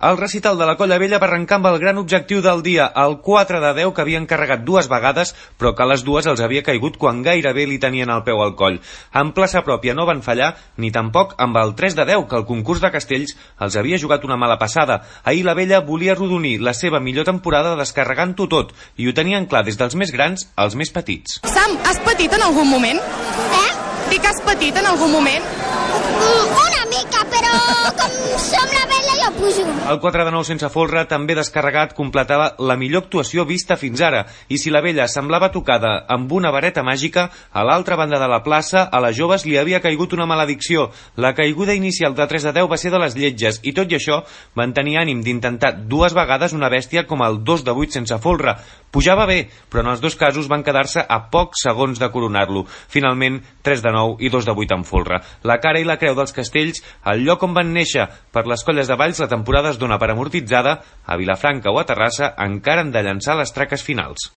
El recital de la Colla Vella va arrencar amb el gran objectiu del dia, el 4 de 10 que havien carregat 2 vegades, però que a les 2 els havia caigut quan gairebé li tenien el peu al coll. En plaça pròpia no van fallar, ni tampoc amb el 3 de 10, que el concurs de castells els havia jugat una mala passada. Ahir la Vella volia arrodonir la seva millor temporada descarregant-ho tot, i ho tenien clar des dels més grans als més petits. Sam, has patit en algun moment? Dic, has patit en algun moment? Una mica, però com som la Vella jo pujo. El 4 de 9 sense folre, també descarregat, completava la millor actuació vista fins ara, i si la Vella semblava tocada amb una vareta màgica, a l'altra banda de la plaça, a les joves li havia caigut una maledicció. La caiguda inicial de 3 de 10 va ser de les lletges, i tot i això van tenir ànim d'intentar 2 vegades una bèstia com el 2 de 8 sense folre. Pujava bé, però en els 2 casos van quedar-se a pocs segons de coronar-lo. Finalment, 3 de 9 i 2 de 8 en folre. La cara i la creu dels castells, el lloc on van néixer. Per les colles de Valls la temporada es dona per amortitzada. A Vilafranca o a Terrassa encara han de llançar les traques finals.